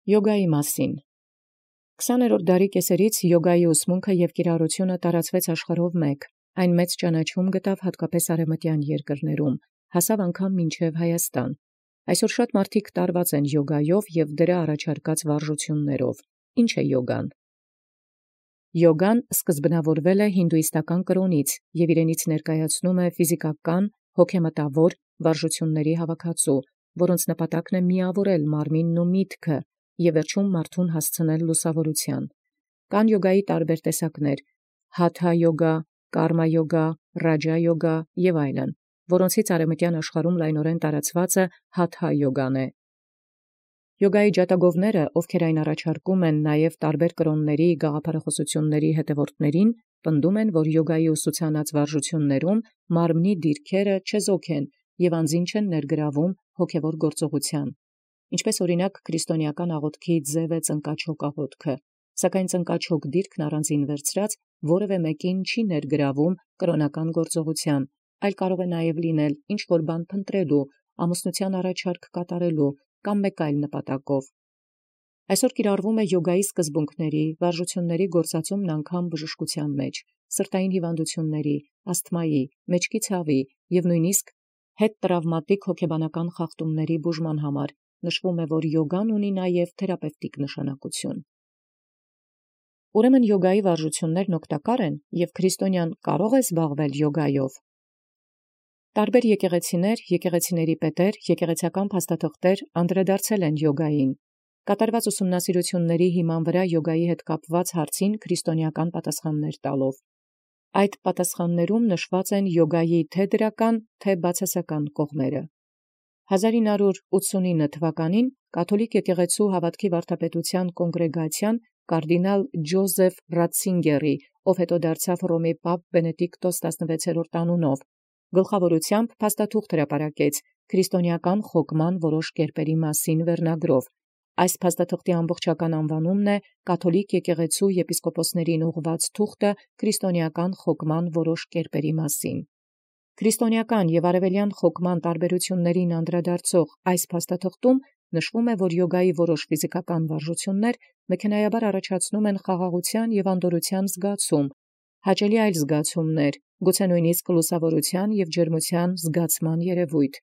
Յոգայի մասին 20-րդ դարի կեսերից յոգայի ուսմունքը և կիրառությունը տարածվեց աշխարհով մեկ, այն մեծ ճանաչում գտավ հատկապես արևմտյան երկրներում, հասավ անգամ մինչև Հայաստան։ Այսօր շատ մարդիկ տարված են յոգայով և դրա առաջարկած վարժություններով։ Ինչ է յոգան։ Յոգան սկզբնավորվել է հինդուիստական կրոնից և իրենից ներկայացնում է ֆիզիկական, հոգեմտավոր վարժությունների հավաքածու, որոնց նպատակն է միավորել մարմինն ու միտքը և վերջում մարդուն հասցնել լուսավորության։ Կան յոգայի տարբեր տեսակներ՝ հաթա յոգա, կարմա յոգա, ռաջա յոգա և այլն, որոնցից արևմտյան աշխարհում լայնորեն տարածվածը հաթա յոգան է։ Յոգայի ջատագովները, ովքեր այն առաջարկում են նաև տարբեր կրոնների գաղափարախոսությունների հետևորդներին, պնդում են, որ յոգայի ուսուցանած վարժություններում մարմնի դիրքերը չեզոք են և անձին չեն ներգրավում հոգևոր գործողության։ Ինչպես օրինակ քրիստոնեական աղոթքի ձև է ծնկաչոք աղոթքը, սակայն ծնկաչոք դիրքն առանձին վերցրած որևէ մեկին չի ներգրավում կրոնական գործողության, այլ կարող է նաև լինել ինչ-որ բան փնտրելու, ամուսնության առաջարկ կատարելու կամ մեկ այլ նպատակով։ Այսօր կիրառվում է յոգայի սկզբունքների, վարժությունների գործածումն անգամ բժշկության մեջ, սրտային հիվանդությունների, ասթմայի, մեջքի ցավի և նույնիսկ հետտրավմատիկ հոգեբանական խախտումների բուժման համար։ Նշվում է, որ յոգան ունի նաև թերապևտիկ նշանակություն։ Ուրեմն յոգայի վարժություններն օգտակար են և քրիստոնյան կարող է զբաղվել յոգայով։ Տարբեր եկեղեցիներ, եկեղեցիների պետեր, եկեղեցական փաստաթղթեր անդրադարձել են յոգային։ Կատարված ուսումնասիրությունների հիման վրա յոգայի հետ կապված հարցին քրիստոնեական պատասխաններ տալով։ Այդ պատասխաններում նշված են յոգայի թե դրական, թե բացասական կողմերը։ 1989 թվականին կաթոլիկ եկեղեցու հավատքի վարդապետության կոնգրեգացիան կարդինալ Ջոզեֆ Ռատցինգերի, ով հետո դարձավ Հռոմի պապ Բենեդիկտոս 16-րդ անունով, գլխավորությամբ փաստաթուղթ հրապարակեց քրիստոնեական խոգման որոշ կերպերի մասին վերնագրով։ Այս փաստաթղթի ամբողջական անվանումն է «Կաթոլիկ եկեղեցու եպիսկոպոսներին ուղղված թուղթը քրիստոնեական խոգման որոշ կերպերի մասին»։ Քրիստոնեական և արևելյան խոգման տարբերություններին անդրադարձող այս փաստաթղթում նշվում է, որ յոգայի որոշ ֆիզիկական վարժություններ մեքենայաբար առաջացնում են խաղաղության և անդորրության զգացում, հաճելի այլ զգացումներ, գուցե նույնիսկ լուսավորության և ջերմության զգացման երևույթ,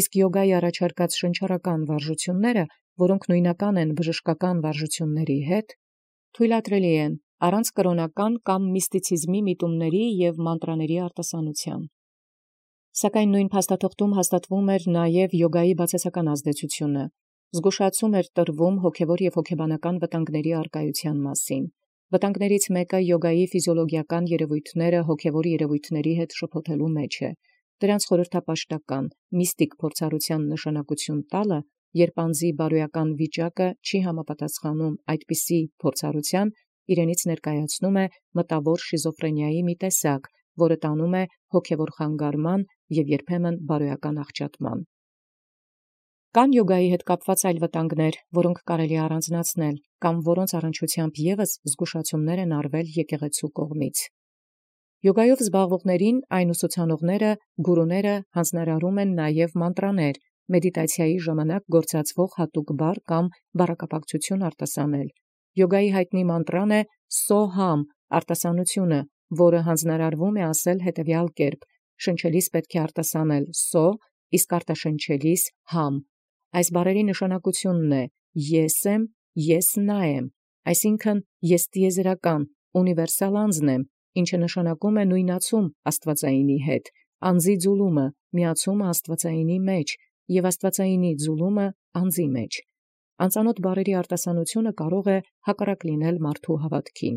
իսկ յոգայի առաջարկած շնչառական վարժությունները, որոնք նույնական են բժշկական վարժությունների հետ, թույլատրելի են առանց կրոնական կամ միստիցիզմի միտումների և մանտրաների արտասանության։ Սակայն նույն փաստաթղթում հաստատվում էր նաև յոգայի բացասական ազդեցությունը, զգուշացում էր տրվում հոգևոր և հոգեբանական վտանգների առկայության մասին։ Վտանգներից մեկը յոգայի ֆիզիոլոգիական երևույթները հոգևոր երևույթների հետ շփոթելու մեջ է։ Դրանց խորհրդապաշտական, միստիկ փորձառության նշանակություն տալը, երբ անձի բարոյական վիճակը չի համապատասխանում այդպիսի փորձառության, իրենից ներկայացնում է մտավոր շիզոֆրենիայի մի տեսակ, որը տանում է հոգևոր խանգարման և երբեմն բարոյական աղճատման։ Կան յոգայի հետ կապված այլ վտանգներ, որոնք կարելի է առանձնացնել, կամ որոնց առնչությամբ ևս զգուշացումներ են արվել եկեղեցու կողմից։ Յոգայով զբաղվողներին այն ուսուցանողները, գուրուները հանձնարարում են նաև մանտրաներ, մեդիտացիայի ժամանակ գործածվող հատուկ բառ կամ բառակապակցություն արտասանել։ Յոգայի հայտնի մանտրան է «Սոհամ» արտասանությունը, որը հանձնարարվում է ասել հետևյալ կերպ. շնչելիս պետք է արտասանել «սո», իսկ արտաշնչելիս «համ»։ Այս բառերի նշանակությունն է «ես եմ, ես նա եմ», այսինքն ես տիեզերական, ունիվերսալ անձն եմ, ինչը նշանակում է նույնացում աստվածայինի հետ, անձի ձուլումը, միացումը աստվածայինի մեջ և աստվածայինի ձուլումը անձի մեջ։ Անծանոթ բառերի արտասանությունը կարող է հակառակ լինել մարդու հավատքին։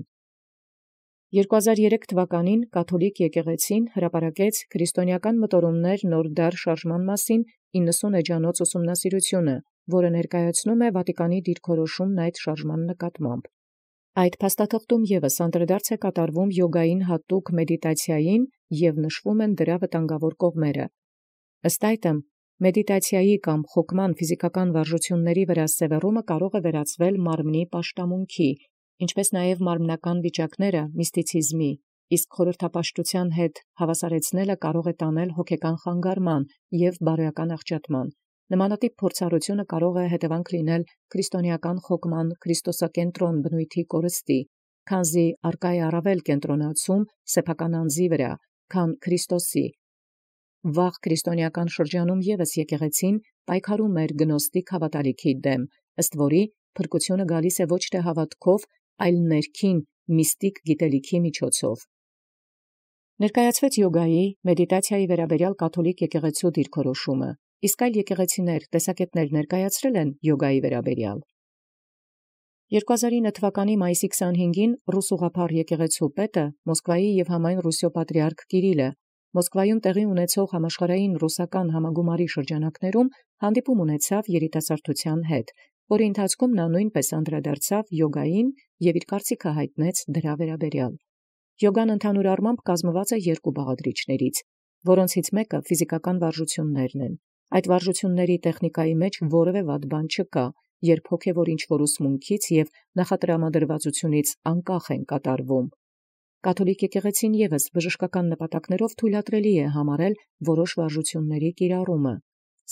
2003 թվականին կաթոլիկ եկեղեցին հրապարակեց «Քրիստոնեական մտորումներ նոր դար շարժման մասին» 90 էջանոց ուսումնասիրությունը, որը ներկայացնում է Վատիկանի դիրքորոշումն այդ շարժման նկատմամբ։ Այդ փաստաթղթում ևս անդրադարձ է կատարվում յոգային հատուկ մեդիտացիային և նշվում են դրա վտանգավոր կողմերը։ Ըստ այդմ, մեդիտացիայի կամ խոգման ֆիզիկական վարժությունների վրա սևեռումը կարող է վերածվել մարմնի պաշտամունքի, ինչպես նաև մարմնական վիճակները միստիցիզմի, իսկ խորհրդապաշտության հետ հավասարեցնելը կարող է տանել հոգեկան խանգարման և բարոյական աղճատման։ Նմանատիպ փորձառությունը կարող է հետևանք լինել քրիստոնեական խոգման քրիստոսակենտրոն բնույթի կորստի, քանզի արկա է առավել կենտրոնացում սեփական անձի վրա, քան Քրիստոսի։ Վաղ քրիստոնեական շրջանում ևս եկեղեցին պայքարում էր գնոստիկ հավատալիքի դեմ, ըստ որի փրկությունը գալիս է ոչ թե հավատքով, այլ ներքին միստիկ գիտելիքի միջոցով։ Ներկայացվեց յոգայի, մեդիտացիայի վերաբերյալ կաթոլիկ եկեղեցու դիրքորոշումը, իսկ այլ եկեղեցիներ տեսակետներ ներկայացրել են յոգայի վերաբերյալ։ 2009 թվականի մայիսի 25-ին ռուս ուղղափառ եկեղեցու պետը Մոսկվայի եւ համայն Ռուսիո պատրիարք Կիրիլը Մոսկվայում տեղի ունեցող համաշխարհային ռուսական համագումարի շրջանակներում հանդիպում ունեցավ երիտասարդության հետ, որի ընթացքում նա նույնպես անդրադարձավ յոգային եւ իր կարծիքը հայտնեց դրա վերաբերյալ։ Յոգան ընդհանուր առմամբ կազմված է երկու բաղադրիչներից, որոնցից մեկը ֆիզիկական վարժություններն են։ Այդ վարժությունների տեխնիկայի մեջ որևէ վատ բան չկա, երբ հոգևոր ինչ-որ ուսմունքից եւ նախատրամադրվածությունից անկախ են կատարվում։ Կաթոլիկ եկեղեցին ևս բժշկական նպատակներով թույլատրելի է համարել որոշ վարժությունների կիրառումը,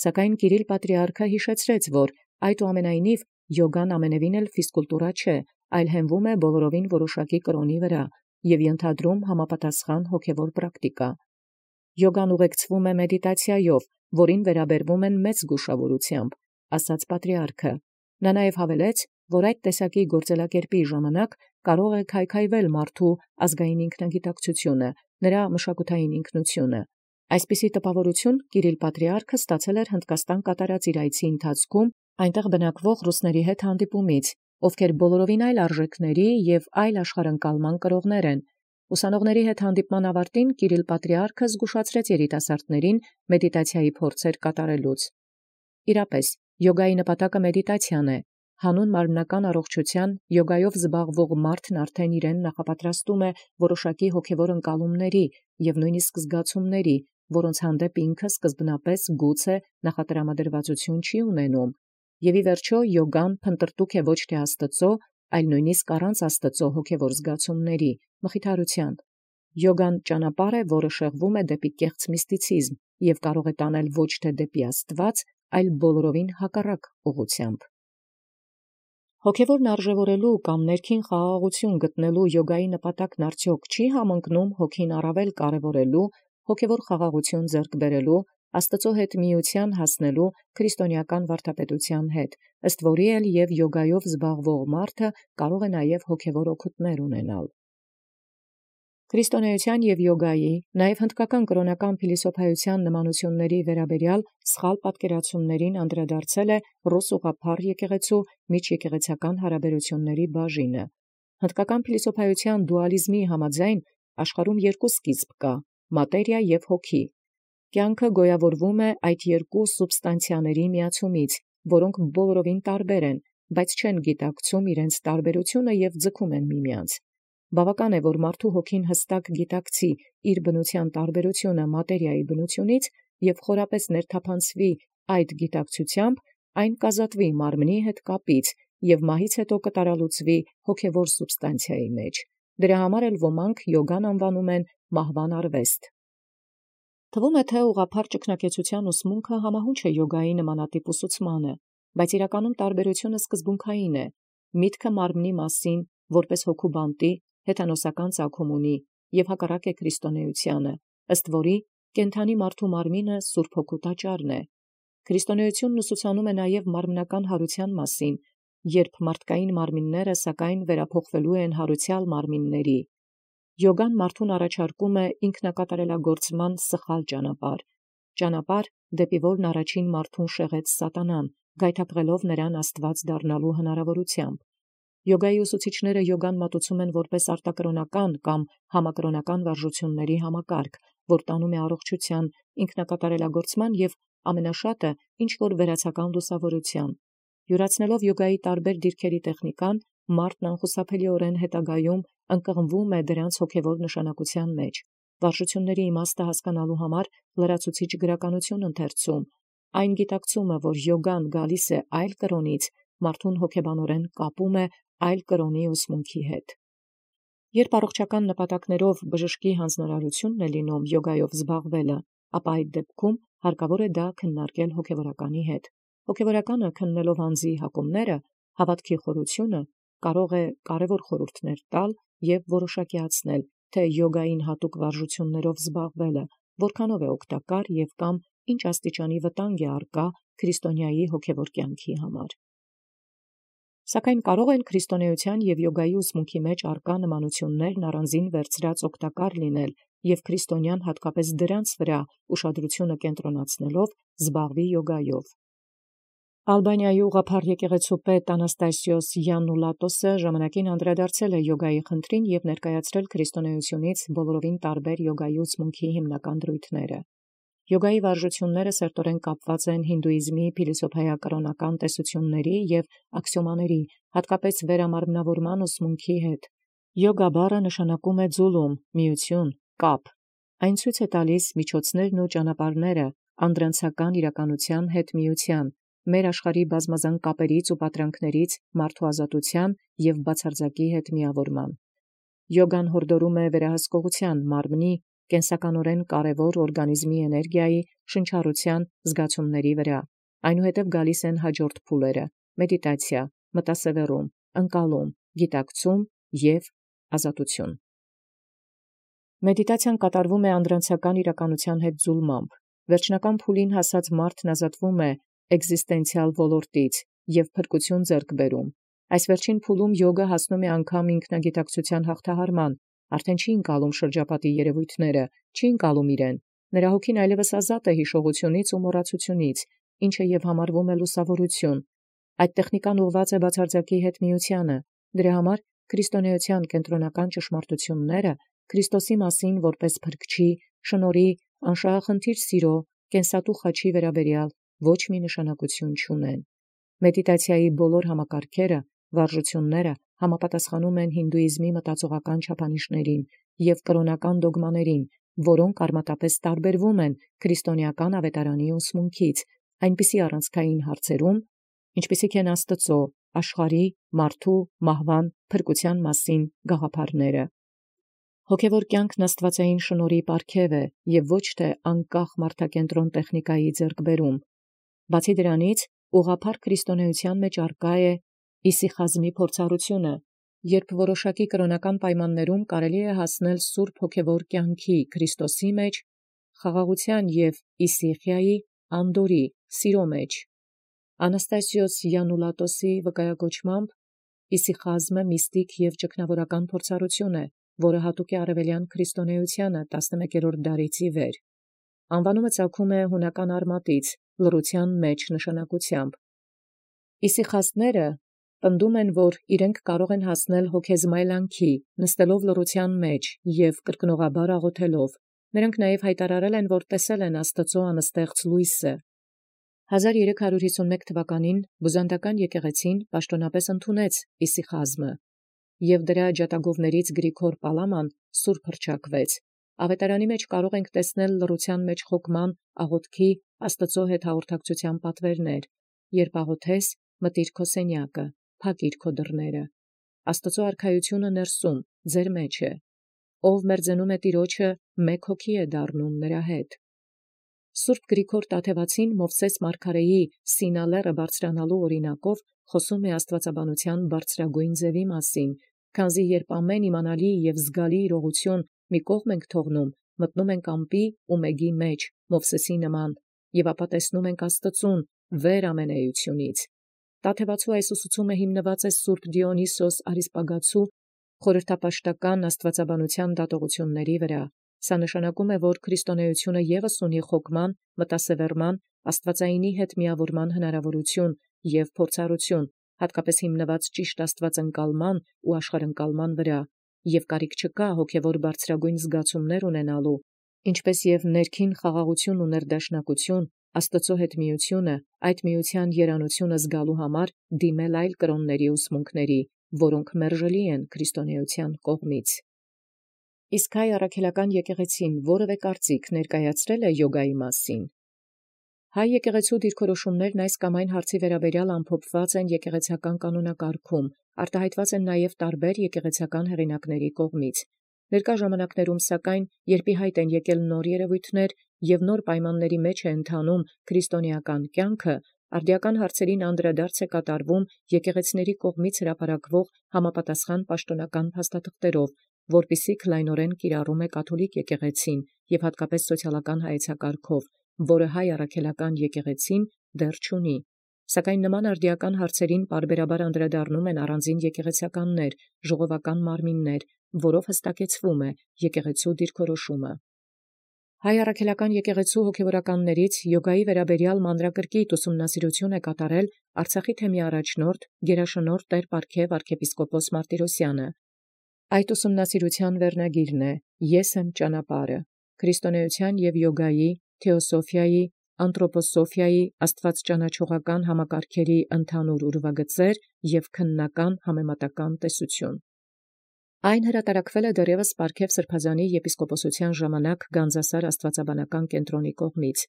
սակայն Կիրիլ պատրիարքը հիշեցրեց, որ այդուամենայնիվ յոգան ամենևին էլ ֆիզկուլտուրա չէ, այլ հենվում է բոլորովին որոշակի կրոնի վրա եւ ենթադրում համապատասխան հոգևոր պրակտիկա։ Յոգան ուղեկցվում է մեդիտացիայով, որին վերաբերվում են մեծ զգուշավորությամբ, ասաց պատրիարքը։ Նա նաև հավելեց, որ այդ տեսակի գործելակերպի ժամանակ կարող է քայքայվել մարդու ազգային ինքնագիտակցությունը, նրա մշակութային ինքնությունը։ Այսպիսի տպավորություն Կիրիլ պատրիարքը ստացել էր Հնդկաստան կատարած իր այցի ընթացքում այնտեղ բնակվող ռուսների հետ հանդիպումից, ովքեր բոլորովին այլ արժեքների եւ այլ աշխարհընկալման կրողներ են։ Ուսանողների հետ հանդիպման ավարտին Կիրիլ պատրիարքը զգուշացրեց երիտասարդներին մեդիտացիայի փորձեր կատարելուց։ Իրապես, յոգայի նպատակը մեդիտացիան է։ Հանուն մարմնական առողջության յոգայով զբաղվող մարդն արդեն իրեն նախապատրաստում է որոշակի հոգևոր ընկալումների եւ նույնիսկ զգացումների, որոնց հանդեպ ինքը սկզբնապես գուցե նախատրամադրվածություն չի ունենում։ Եվ ի վերջո յոգան փնտրտուք է ոչ թե Աստծո, այլ նույնիսկ առանց Աստծո հոգևոր զգացումների, մխիթարության։ Յոգան ճանապարհ է, որը շեղվում է դեպի կեղծ միստիցիզմ եւ կարող է տանել ոչ թե դեպի Աստված, այլ բոլորովին հակառակ ուղղությամբ։ Հոգևորն արժևորելու կամ ներքին խաղաղություն գտնելու յոգայի նպատակն արդյոք չի համընկնում հոգին առավել կարևորելու, հոգևոր խաղաղություն ձեռք բերելու, Աստծո հետ միության հասնելու քրիստոնեական վարդապետության հետ, ըստ որի էլ եւ յոգայով զբաղվող մարդը կարող է նաեւ հոգևոր օգուտներ ունենալ։ Քրիստոնեության եւ յոգայի, նաեւ հնդկական կրոնական փիլիսոփայության նմանությունների վերաբերյալ սխալ պատկերացումներին անդրադարձել է ռուս ուղղափառ եկեղեցու միջեկեղեցական հարաբերությունների բաժինը։ Հնդկական փիլիսոփայության դուալիզմի համաձայն աշխարհում երկու սկիզբ կա՝ մատերիա եւ հոգի։ Կյանքը գոյավորվում է այդ երկու սուբստանցիաների միացումից, որոնք բոլորովին տարբեր են, բայց չեն գիտակցում իրենց տարբերությունը եւ ձգում են միմյանց։ Բավական է, որ մարդու հոգին հստակ գիտակցի իր բնության տարբերությունը մատերիայի բնությունից եւ խորապես ներթափանցվի այդ գիտակցությամբ, այն կազատվի մարմնի հետ կապից եւ մահից հետո կտարալուծվի հոգևոր սուբստանցիայի մեջ։ Դրա համար էլ ոմանք յոգան անվանում են մահվան արվեստ։ Թվում է, թե ուղղափառ ճգնակեցության ուսմունքը համահունչ է յոգայի նմանատիպ ուսուցմանը, բայց իրականում տարբերությունը սկզբունքային է։ Միտքը մարմնի մասին, որպես հոգու բանտի, հեթանոսական ծագում ունի եւ հակառակ է քրիստոնեությանը, ըստ որի կենթանի մարդու մարմինը Սուրբ Հոգու տաճարն է։ Քրիստոնեությունն ուսուցանում է նաեւ մարմնական հարության մասին, երբ մարդկային մարմինները սակայն վերափոխվելու են հարուցյալ մարմինների։ Յոգան մարդուն առաջարկում է ինքնակատարելագործման սխալ ճանապարհ, դեպի որն առաջին մարդուն շեղեց սատանան, գայթակղելով նրան Աստված դառնալու հնարավորությամբ։ Յոգայի ուսուցիչները յոգան մատուցում են որպես արտակրոնական կամ համակրոնական վարժությունների համակարգ, որ տանում է առողջության, ինքնակատարելագործման եւ ամենաշատը ինչ որ վերացական լուսավորության։ Յուրացնելով յոգայի տարբեր դիրքերի տեխնիկան, մարդն անխուսափելիորեն հետագայում ընկղմվում է դրանց հոգևոր նշանակության մեջ։ Վարժությունների իմաստը հասկանալու համար լրացուցիչ գրականություն ընթերցում, այն գիտակցումը, որ յոգան գալիս է այլ կրոնից, մարդուն հոգեբանորեն կապում է այլ կրոնի ուսմունքի հետ։ Երբ առողջական նպատակներով բժշկի հանձնարարությունն է լինում յոգայով զբաղվելը, ապա այդ դեպքում հարկավոր է դա քննարկել հոգևորականի հետ։ Հոգևորականը քննելով անձի հակումները, հավատքի խորությունը, կարող է կարևոր խորհուրդներ տալ եւ որոշակիացնել, թե յոգային հատուկ վարժություններով զբաղվելը որքանով է օգտակար եւ կամ ինչ աստիճանի վտանգ է առկա քրիստոնյայի հոգևոր կյանքի համար։ Սակայն կարող են քրիստոնեության եւ յոգայի ուսմունքի մեջ առկա նմանություններն առանձին վերցրած օգտակար լինել եւ քրիստոնյան հատկապես դրանց վրա ուշադրությունը կենտրոնացնելով զբաղվի յոգայով։ Ալբանիայի ուղղափառ եկեղեցու պետ Անաստասիոս Յաննուլատոսը ժամանակին անդրադարձել է յոգայի խնդրին եւ ներկայացրել քրիստոնեությունից բոլորովին տարբեր յոգայի ուսմունքի հիմնական դրույթները։ Յոգայի վարժությունները սերտորեն կապված են հինդուիզմի փիլիսոփայակրոնական տեսությունների եւ աքսիոմաների, հատկապես վերամարմնավորման ուսմունքի հետ։ Յոգա բառը նշանակում է ձուլում, միություն, կապ։ Այն ցույց է տալիս միջոցներն ու ճանապարհները անդրանցական իրականության հետ միության, մեր աշխարհի բազմազան կապերից ու պատրանքներից մարդու ազատության եւ բացարձակի հետ միավորման։ Յոգան հորդորում է վերահսկողության, մարմնի, կենսականորեն կարևոր օրգանիզմի էներգիայի, շնչառության, զգացումների վրա։ Այնուհետև գալիս են հաջորդ փուլերը՝ մեդիտացիա, մտասևեռում, ընկալում, գիտակցում եւ ազատություն։ Մեդիտացիան կատարվում է անդրանցական իրականության հետ զուլմամբ։ Վերջնական փուլին հասած մարդն ազատվում է էկզիստենցիալ ոլորտից եւ փրկություն ձեռք բերում։ Այս վերջին փուլում յոգը հասնում է անգամ ինքնագիտակցության հաղթահարման, արդեն չի ընկալում շրջապատի երևույթները, չի ընկալում իրեն։ Նրա հոգին այլևս ազատ է հիշողությունից ու մոռացությունից, ինչը եւ համարվում է լուսավորություն։ Այդ տեխնիկան ուղղված է բացարձակի հետ միությանը։ Դրա համար քրիստոնեության կենտրոնական ճշմարտությունները Քրիստոսի մասին որպես փրկչի, շնորհի, անշահախնդիր սիրո, կենսատու խաչի վերաբերյալ ոչ մի նշանակություն չունեն։ Մեդիտացիայի բոլոր համակարգերը, վարժությունները համապատասխանում են հինդուիզմի մտածողական չափանիշներին եւ կրոնական դոգմաներին, որոնք արմատապես տարբերվում են քրիստոնեական ավետարանի ուսմունքից, այնպիսի առանցքային հարցերում, ինչպիսիք են Աստծո, աշխարհի, մարդու, մահվան, փրկության մասին գաղափարները։ Հոգևոր կյանքն աստվածային շնորհի պարգև է եւ ոչ թե անկախ մարդակենտրոն տեխնիկայի ձեռքբերում։ Բացի դրանից, ուղղափառ քրիստոնեության մեջ առկա է իսիխազմի փորձառությունը, երբ որոշակի կրոնական պայմաններում կարելի է հասնել սուրբ հոգևոր կյանքի Քրիստոսի մեջ, խաղաղության եւ իսիխիայի, անդորի, սիրո մեջ։ Անաստասիոս Յաննուլատոսի վկայակոչմամբ իսիխազմը միստիկ եւ ճգնավորական փորձառություն է, որը հատուկ է արևելյան քրիստոնեությանը 11-րդ դարից ի վեր։ Անվանումը ծագում է հունական արմատից, լռության մեջ նշանակությամբ։ Իսիխաստները պնդում են, որ իրենք կարող են հասնել հոգեզմայլանքի, նստելով լռության մեջ եւ կրկնողաբար աղոթելով։ Նրանք նաեւ հայտարարել են, որ տեսել են Աստծո անստեղծ լույսը։ 1351 թվականին բյուզանդական եկեղեցին պաշտոնապես ընդունեց իսիխազմը, եւ դրա ջատագովներից Գրիգոր Պալաման սուրբ հռչակվեց։ Ավետարանի մեջ կարող ենք տեսնել լռության մեջ խոկման, աղոթքի, Աստծո հետ հաղորդակցության պատվերներ։ Երբ աղոթես, մտիր քո սենյակը, փակիր քո դռները։ Աստծո արքայությունը ներսում, ձեր մեջ է։ Ով մերձենում է Տիրոջը, մեկ հոգի է դառնում նրա հետ։ Սուրբ Գրիգոր Տաթևացին Մովսես մարգարեի Սինալերը բարձրանալու օրինակով խոսում է աստվածաբանության բարձրագույն ձևի մասին, քանզի երբ ամեն իմանալի եւ զգալի իրողություն մի կողմ ենք թողնում, մտնում ենք ամպի ու մեգի մեջ, Մովսեսի նման, եւ ապա տեսնում ենք Աստծուն վեր ամենայությունից։ Տաթևացու այս ուսուցումը հիմնված է Սուրբ Դիոնիսոս Արիսպագացու խորհրդապաշտական աստվածաբանության դատողությունների վրա։ Սա նշանակում է, որ քրիստոնեությունը ևս ունի խոկման, մտասևեռման, աստվածայինի հետ միավորման հնարավորություն եւ փորձառություն, հատկապես հիմնված ճիշտ աստվածընկալման ու աշխարհընկալման վրա, եւ կարիք չկա հոգևոր բարձրագույն զգացումներ ունենալու, ինչպես եւ ներքին խաղաղություն ու ներդաշնակություն, Աստծո հետ միությունը, այդ միության երանությունը զգալու համար դիմել այլ կրոնների ուսմունքների, որոնք մերժելի են քրիստոնեության կողմից։ Իսկ հայ առաքելական եկեղեցին որևէ կարծիք ներկայացրել է յոգայի մասին։ Հայ եկեղեցու դիրքորոշումներն այս կամ այն հարցի վերաբերյալ ամփոփված են եկեղեցական կանոնակարգում, արտահայտված են նաև տարբեր եկեղեցական հեղինակների կողմից։ Ներկա ժամանակներում, սակայն, երբ ի հայտ են եկել նոր երևույթներ, եւ նոր պայմանների մեջ է ընթանում քրիստոնեական կյանքը, արդիական հարցերին անդրադարձ է կատարվում եկեղեցիների կողմից հրապարակվող համապատասխան պաշտոնական փաստաթղթերով, որպիսի քլայնորեն կիրառում է կաթոլիկ եկեղեցին եւ հատկապես սոցիալական հայեցակարգով, որը հայ առաքելական եկեղեցին դեռ չունի։ Սակայն նման արդիական հարցերին պարբերաբար անդրադառնում են առանձին եկեղեցիականներ, ժողովական մարմիններ, որով հստակեցվում է եկեղեցու դիրքորոշումը։ Հայ առաքելական եկեղեցու հոգևորականներից յոգայի վերաբերյալ մանրակրկիտ ուսումնասիրություն է կատարել Արցախի թեմի առաջնորդ գերաշնորհ Տեր Պարքև arczepiskopos Martirosyan-ը։ Այդ ուսումնասիրության վերնագիրն է «Ես եմ ճանապարհը. քրիստոնեության եւ յոգայի, թեոսոֆիայի, անթրոպոսոֆիայի, աստվածճանաչողական համակարգերի ընդհանուր ուրվագծեր եւ քննական համեմատական տեսություն»։ Այն հրատարակվել է դեռևս Պարքև սրբազանի եպիսկոպոսության ժամանակ Գանձասար աստվածաբանական կենտրոնի կողմից։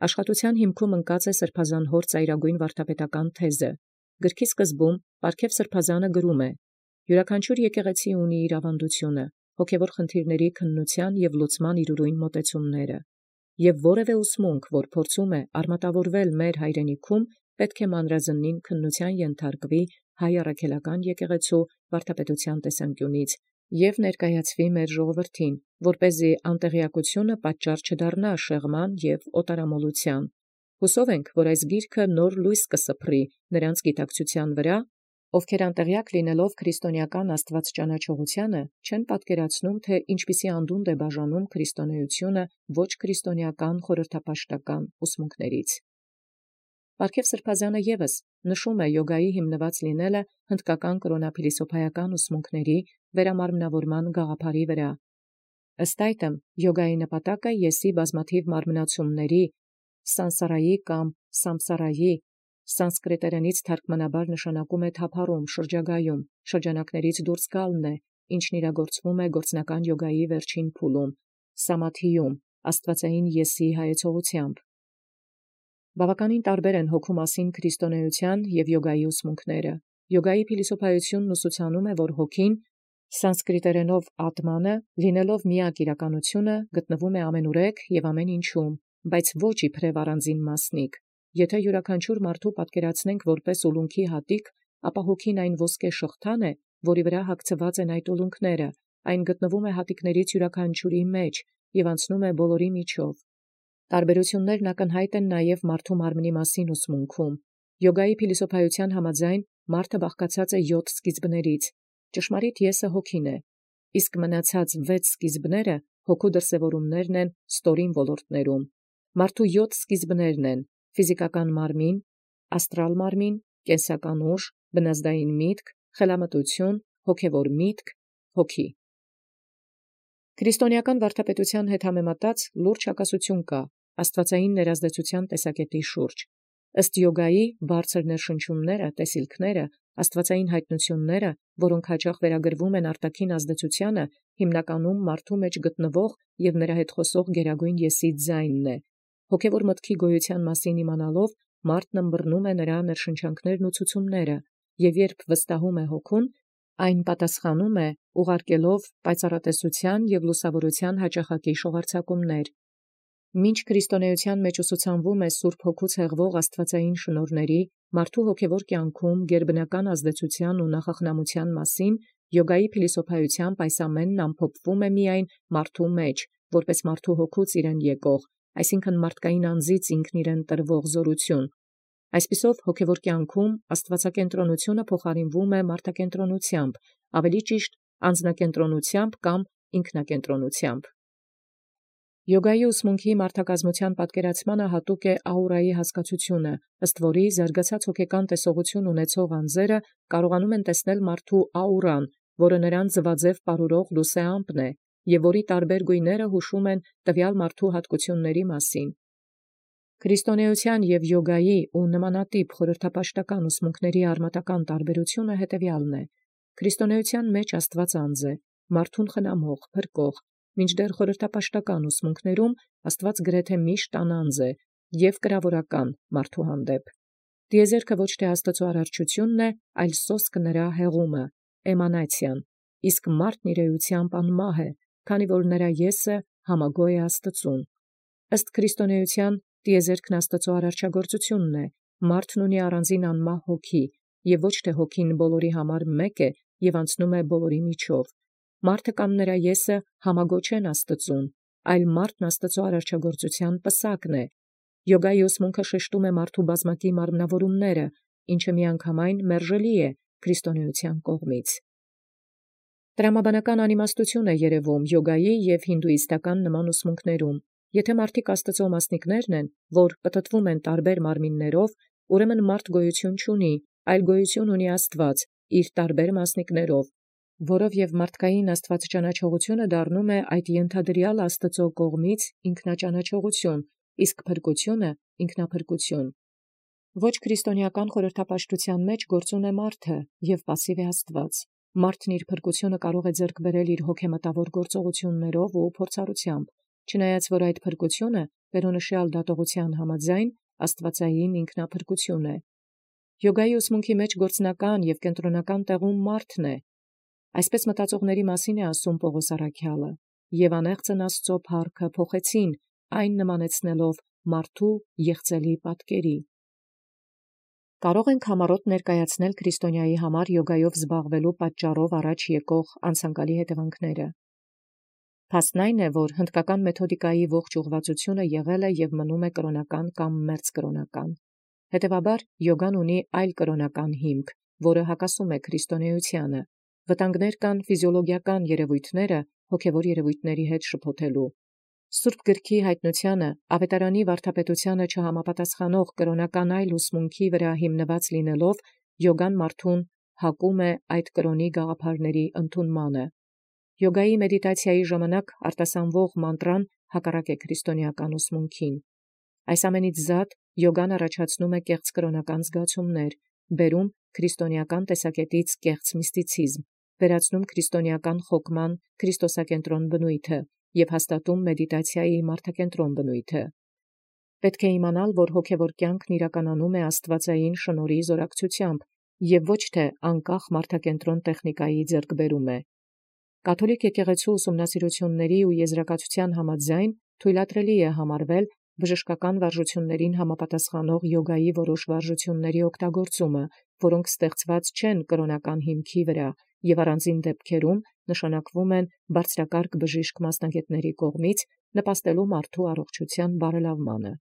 Աշխատության հիմքում ընկած է սրբազան հոր ծայրագույն վարդապետական թեզը։ Գրքի սկզբում Պարքև սրբազանը գրում է. «Յուրաքանչյուր եկեղեցի ունի իր ավանդությունը, հոգևոր խնդիրների քննության եւ լուծման իր ուրույն մոտեցումները։ Եվ որևէ ուսմունք, որ փորձում է արմատավորվել մեր հայրենիքում, պետք է մանրազնին քննության ենթարկվի հայ առաքելական եկեղեցու վարդապետության տեսանկյունից եւ ներկայացվի մեր ժողովրդին, որպեսզի անտեղյակությունը պատճառ չդառնա շեղման եւ օտարամոլության։ Հուսով ենք, որ այս գիրքը նոր լույս կսփռի նրանց գիտակցության վրա, ովքեր անտեղյակ լինելով քրիստոնեական աստվածճանաչողությանը չեն պատկերացնում, թե ինչպիսի անդունդ է բաժանում քրիստոնեությունը ոչ քրիստոնեական խորհրդապաշտական ուսմունքներից։ Պարքև սրբազանը եւս նշում է յոգայի հիմնված լինելը հնդկական կրոնափիլիսոփայական ուսմունքների վերամարմնավորման գաղափարի վրա։ Ըստ այդմ, յոգայի նպատակը եսի բազմաթիվ մարմնացումների սանսարայի կամ սամսարայի սանսկրիտերենից թարգմանաբար նշանակում է թափառում, շրջագայում, շրջանակներից դուրս գալն է, ինչն իրագործվում է գործնական յոգայի վերջին փուլում, սամաթիում, աստվածային եսի հայեցողությամբ։ Բավականին տարբեր են հոգու մասին քրիստոնեության եւ յոգայի ուսմունքները։ Յոգայի փիլիսոփայությունն ուսուցանում է, որ հոգին սանսկրիտերենով ատմանը, լինելով միակ իրականությունը, գտնվում է ամենուրեք եւ ամեն ինչում, բայց ոչ իբրև առանձին մասնիկ։ Եթե յուրաքանչյուր մարդու պատկերացնենք որպես ուլունքի հատիկ, ապա հոգին այն ոսկե շղթան է, որի վրա հագցված են այդ ուլունքները, այն գտնվում է հատիկներից յուրաքանչյուրի մեջ եւ անցնում է բոլորի միջով։ Տարբերություններն ակնհայտ են նաև մարդու մարմնի մասին ուսմունքում։ Յոգայի փիլիսոփայության համաձայն մարդը բաղկացած է 7 սկիզբներից։ Ճշմարիտ եսը հոգին է, իսկ մնացած 6 սկիզբները հոգու դրսևորումներն են ստորին ոլորտներում։ Մարդու 7 սկիզբներն են ֆիզիկական մարմին, աստրալ մարմին, կենսական ուժ, բնազդային միտք, խելամտություն, հոգևոր միտք, հոգի։ Քրիստոնեական վարդապետության հետ համեմատած լուրջ հակասություն կա աստվածային ներազդեցության տեսակետի շուրջ։ Ըստ յոգայի բարձր ներշնչումները, տեսիլքները, աստվածային հայտնությունները, որոնք հաճախ վերագրվում են արտաքին ազդեցությանը, հիմնականում մարդու մեջ գտնվող եւ նրա հետ խոսող գերագույն եսի ձայնն է։ Հոգևոր մտքի գոյության մասին իմանալով, մարդն ըմբռնում է նրա ներշնչանքներն ու ցուցումները, եւ երբ վստահում է հոգուն, այն պատասխանում է ուղարկելով պայծառատեսության եւ լուսավորության հաճախակի շողարցակումներ։ Մինչ քրիստոնեության մեջ ուսուցանվում է Սուրբ Հոգուց հեղվող աստվածային շնորհների, մարդու հոգևոր կյանքում գերբնական ազդեցության ու նախախնամության մասին, յոգայի փիլիսոփայությամբ այս ամենն ամփոփվում է միայն մարդու մեջ, որպես մարդու հոգուց իրեն եկող, այսինքն մարդկային անձից ինքն իրեն տրվող զորություն։ Այսպիսով հոգևոր կյանքում աստվածակենտրոնությունը փոխարինվում է մարդակենտրոնությամբ, ավելի ճիշտ անձնակենտրոնությամբ կամ ինքնակենտրոնությամբ։ Յոգայի ուսմունքի մարդակազմության պատկերացմանը հատուկ է աուրայի հասկացությունը, ըստ որի զարգացած հոգեկան տեսողություն ունեցող անձերը կարողանում են տեսնել մարդու աուրան, որը նրան ձվաձև պարուրող լուսեամպն է, եւ որի տարբեր գույները հուշում են տվյալ մարդու հատկությունների մասին։ Քրիստոնեության եւ յոգայի ու նմանատիպ խորհրդապաշտական ուսմունքների արմատական տարբերությունը հետևյալն է. քրիստոնեության մեջ Աստված անձ է, մարդուն խնամող, փրկող, մինչդեռ խորհրդապաշտական ուսմունքներում Աստված գրեթե միշտ անանձ է եւ կրավորական մարդու հանդեպ։ Տիեզերքը ոչ թե Աստծո արարչությունն է, այլ սոսկ նրա հեղումը, էմանացիան, իսկ մարդն իր էությամբ անմահ է, քանի որ նրա եսը համագոյ է Աստծուն։ Ըստ քրիստոնեության տիեզերքն Աստուծոյ արարչագործությունն է, մարդն ունի առանձին անմահ հոգի, եւ ոչ թե հոգին բոլորի համար մեկ է եւ անցնում է բոլորի միջով։ Մարդը կամ նրա եսը համագոչեն Աստծուն, այլ մարդն Աստծոյ արարչագործության պսակն է։ Յոգայի ուսմունքը շեշտում է մարդու բազմակի մարմնավորումները, ինչը միանգամայն մերժելի է քրիստոնեության կողմից։ Տրամաբանական անիմաստություն է երևում յոգայի եւ հինդուիստական նման ուսմունքներում։ Եթե մարդիկ Աստծո մասնիկներն են, որ պտտվում են տարբեր մարմիններով, ուրեմն մարդ գոյություն չունի, այլ գոյություն ունի Աստված իր տարբեր մասնիկներով, որով եւ մարդկային աստվածճանաչողությունը դառնում է այդ ենթադրյալ Աստծո կողմից ինքնաճանաչողություն, իսկ փրկությունը ինքնափրկություն։ Ոչ քրիստոնեական խորհրդապաշտության մեջ գործուն է մարդը եւ պասիվ է Աստված։ Մարդն իր փրկությունը կարող է ձեռք բերել իր հոգեմտավոր գործողություններով ու փորձառությամբ, չնայած որ այդ փրկությունը վերոնշյալ դատողության համաձայն աստվածային ինքնափրկություն է։ Յոգայի ուսմունքի մեջ գործնական եւ կենտրոնական տեղում մարդն է։ Այսպես մտածողների մասին է ասում Պողոս առաքյալը. «Եվ անեղծն Աստծո փառքը փոխեցին, այն նմանեցնելով մարդու եղծելի պատկերի»։ Կարող ենք համառոտ ներկայացնել քրիստոնյայի համար յոգայով զբաղվելու պատճառով առաջ եկող անցանկալի հետևանքները։ Փաստն այն է, որ հնդկական մեթոդիկայի ողջ ուղղվածությունը եղել է եւ մնում է կրոնական կամ մերձկրոնական։ Հետևաբար յոգան ունի այլ կրոնական հիմք, որը հակասում է քրիստոնեությանը։ Վտանգներ կան ֆիզիոլոգիական երևույթները հոգևոր երևույթների հետ շփոթելու։ Սուրբ գրքի հայտնութիւնը ավետարանի վարդապետութիւնը չհամապատասխանող կրոնական այլ ուսմունքի վրա հիմնված լինելով, յոգան մարդուն հակում է այդ կրոնի գաղափարների ընդունմանը։ Յոգայի մեդիտացիայի ժամանակ արտասանվող մանտրան հակառակ է քրիստոնեական ուսմունքին։ Այս ամենից զատ յոգան առաջացնում է կեղծ կրոնական զգացումներ, բերում քրիստոնեական տեսակետից կեղծ միստիցիզմ, վերացնում քրիստոնեական խոկման քրիստոսակենտրոն բնույթը եւ հաստատում մեդիտացիայի մարդակենտրոն բնույթը։ Պետք է իմանալ, որ հոգևոր կյանքն իրականանում է աստվածային շնորհի զորակցությամբ եւ ոչ թե անկախ մարդակենտրոն տեխնիկայի ձեռքբերում է։ Կաթոլիկ եկեղեցու ուսումնասիրությունների ու եզրակացության համաձայն թույլատրելի է համարվել բժշկական վարժություններին համապատասխանող յոգայի որոշ վարժությունների օգտագործումը, որոնք ստեղծված չեն կրոնական հիմքի վրա եւ առանձին դեպքերում նշանակվում են բարձրակարգ բժիշկ մասնագետների կողմից նպաստելու մարդու առողջության բարելավմանը։